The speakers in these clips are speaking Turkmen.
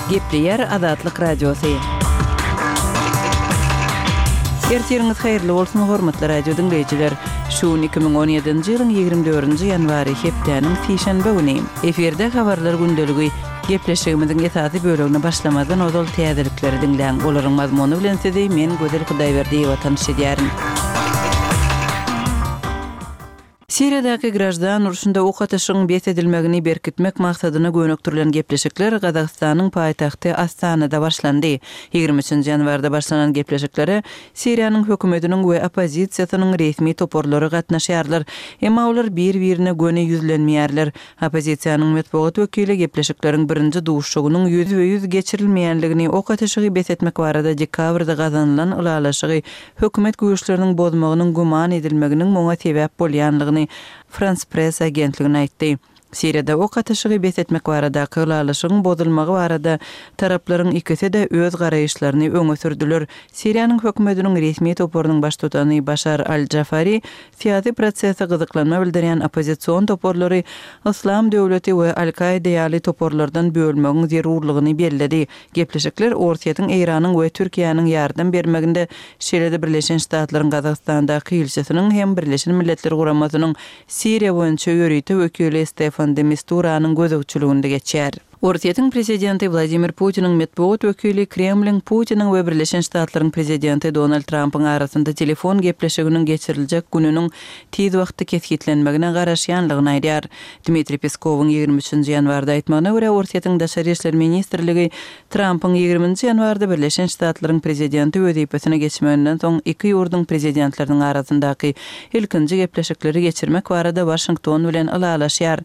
Gepleýär Azatlyk Radiosy. Ertiriňiz haýyrly bolsun, hormatly radio diňleýjiler! Şu gün 2017-nji ýylyň 24-nji ýanwary, hepdäniň sişenbe güni. Efirde Habarlar gündeligi. Gepleşigimiziň esasy bölegine başlamazdan ozal täzelikleri diňläň. Olaryň mazmuny bilen sizi men Gözel Hudaýberdiýewa tanyş edýärin. Siriýadaky graždan urşunda ok atyşygyň bes edilmegini berkitmek maksadyna gönükdirilen gepleşikler Gazagystanyň paýtagty Astanada başlandy. Ýigrimi üçünji ýanwarda başlanan gepleşiklere Siriýanyň hökümetiniň we oppozisiýasynyň resmi toparlary gatnaşýarlar. Emma olar bir-birine göni ýüzlenmeýärler. Oppozisiýanyň metbugat wekili gepleşikleriň birinji duşuşygynyň ýüzbe-ýüz geçirilmeýänligini, ok atyşygy bes etmek barada dekabrda gazanylan ylalaşygy hökümet güýçleriniň bozmagynyň güman edilmeginiň muňa sebäp bolýanlygyny Frans Press agentligine aýtdy. Siriýada ok atyşygy bes etmek baradaky ylalaşygyň bozulmagy barada taraplaryň ikisi-de öz garaýyşlaryny öňe sürdüler. Siriýanyň hökümetiniň resmi toparynyň baştutany Başar al-Jafari syýasy prosese gyzyklanma bildirýän oppozision toparlary Yslam döwleti we Al-Kaida ýaly toparlardan bölmegiň zerurlygyny belledi. Gepleşikler Orsýetiň, Eýranyň we Türkiýäniň ýardam bermeginde, şeýle-de Birleşen Ştatlaryň Gazagystandaky ilçisiniň hem Birleşen Milletler Guramasynyň Siriýa boýunça ýörite wekili Stefan de Misturanyň gözegçiliginde geçýär. Orsýetiň prezidenti Wladimir Putiniň metbugat wekili Kremliň Putiniň we Birleşen Ştatlaryň prezidenti Donald Trampyň arasynda telefon gepleşiginiň geçiriljek gününiň tiz wagtda kesgitlenmegine garaşýanlygyny aýdýar. Dmitriý Peskowyň 23-nji ýanwarda aýtmagyna görä, Orsýetiň Daşary işler ministrligi Trampyň ýigriminji ýanwarda Birleşen Ştatlaryň prezidenti wezipesine geçmeginden soň iki ýurduň prezidentleriniň arasyndaky ilkinji gepleşikleri geçirmek barada Waşington bilen ylalaşýar.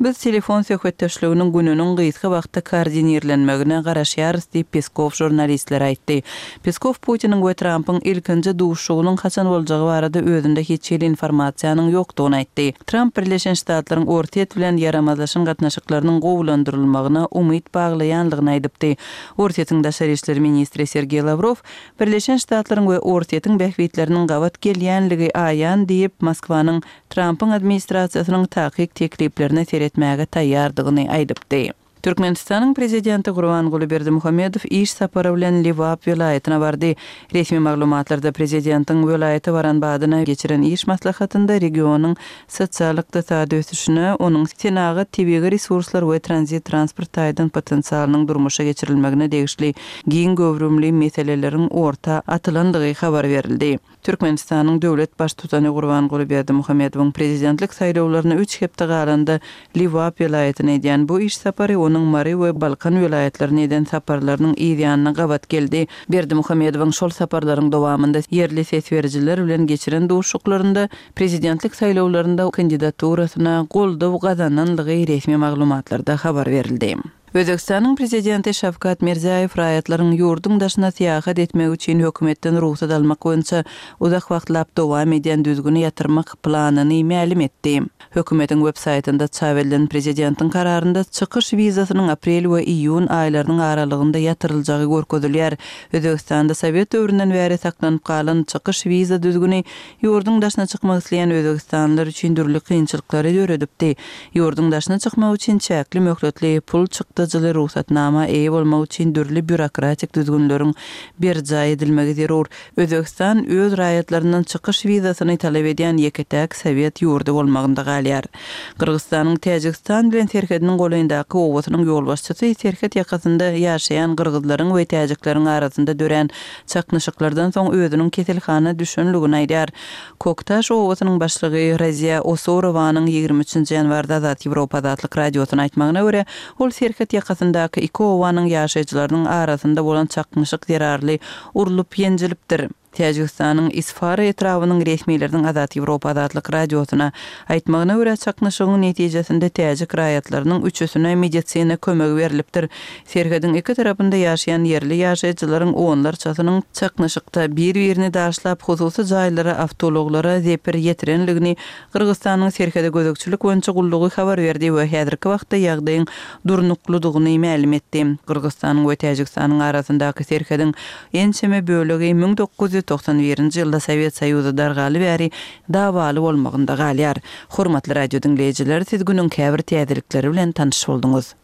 Biz telefon söhbetdeşliginiň gününiň gysga wagtda koordinirlenmegine garaşýarys diýip, Peskow žurnalistlere aýtdy. Peskow Putiniň we Trampyň ilkinji duşuşygynyň haçan boljagy barada özünde hiç hili informasiýanyň ýokdugyny aýtdy. Tramp Birleşen Ştatlaryň Orsýet bilen ýaramazlaşan gatnaşyklarynyň gowulandyrylmagyna umyt baglaýanlygyny aýdypdy. Orsýetiň daşary işler ministri Sergeý Lawrow Birleşen Ştatlaryň we Orsýetiň bähbitleriniň gabat gelýänligi aýan diýip, Moskwanyň Trampyň administrasiýasynyň takyk tekliplerine seretmäge taýýardygyny aýdypdy. Türkmenistanyň Prezidenti Gurbanguly Berdimuhamedow iş sapary bilen Lebap welaýatyna bardy. Resmi maglumatlarda prezidentiň welaýata baran badyna geçiren iş maslahatynda regionyň sosial-ykdysady ösüşine, onuň senagat, tebigy resurslar we tranzit-transport taýdan potensialynyň durmuşa geçirilmegine degişli giň göwrümli meseleleriň orta atylandygy habar berildi. Türkmenistanyň döwlet Baştutany Gurbanguly Berdimuhamedowyň prezidentlik saýlawlaryna üç hepde galanda Lebap welaýatyna edýän bu iş sapary onuň Mary we Balkan welaýatlaryna eden saparlarynyň yz ýanyna gabat geldi. Berdimuhamedowyň şol saparlaryň dowamynda ýerli ses berijiler bilen geçiren duşuşyklarynda prezidentlik saýlawlarynda kandidaturasyna goldaw gazananlygy resmi maglumatlarda habar berildi. Özbegistanyň Prezidenti Şawkat Mirziýaýew raýatlaryň ýurduň daşyna syýahat etmegi üçin hökümetden rugsat almak boýunça uzak wagtlap dowam edýän düzgüni ýatyrmak planyny mälim etdi. Hökümetiň web saýtynda çap edilen prezidentiň kararynda çykyş wizasynyň aprel we iýun aýlarynyň aralygynda ýatyryljagy görkezilýär. Özbegistanda sowet döwründen bäri saklanyp galan çykyş wiza düzgüni ýurduň daşyna çykmak isleýän özbegistanlylar üçin dürli kynçylyklary döredipdi. Ýurduň daşyna çykmak üçin çäkli möhletli, pul çykdajyly rugsatnama eýe bolmak üçin dürli býurokratik düzgünleriň berjaý edilmegi zerur. Özbegistan öz raýatlaryndan çykyş wizasyny talap edýän ýeke-täk sowet ýurdy bolmagynda galýar. Gyrgyzystanyň Täjigistan bilen serhediniň golaýyndaky obasynyň ýolbaşçysy serhet ýakasynda ýaşaýan gyrgyzlaryň we täjikleriň arasynda dörän çaknyşyklardan soň özüniň keselhana düşenligini aýdýar. Koktaş obasynyň başlygy Raziýa Osorowanyň 23 nji ýanwarda Azat Ýewropa Azatlyk Radiosyna aýtmagyna görä, ol serhet ýakasyndaky iki obanyň ýaşaýjylarynyň arasynda bolan çaknyşyk zerarly urlup-ýenjilipdir. Täjigistanyň Isfara etrabynyň resmileriniň Azat Ýewropa Azatlyk Radiosyna aýtmagyna görä, çaknyşygyň netijesinde täjik raýatlarynyň üçüsine medisina kömegi berlipdir. Serhediň iki tarapynda ýaşaýan ýerli ýaşaýjylaryň onlarçasynyň çaknyşykda bir-birini daşlap, hususy jaýlara, awtoulaglara zeper ýetirenligini Gyrgyzystanyň Serhede gözegçilik boýunça gullugy habar berdi we häzirki wagtda ýagdaýyň durnuklydygyny mälim etdi. Gyrgyzystanyň we Täjigistanyň arasyndaky serhediň ençeme bölegi 1991-nji ýylda Sowet Soýuzy dargaly bäri dawaly bolmagynda galýar. Hormatly radio diňleýjiler, siz günüň käbir täzelikleri bilen tanyş bolduňyz.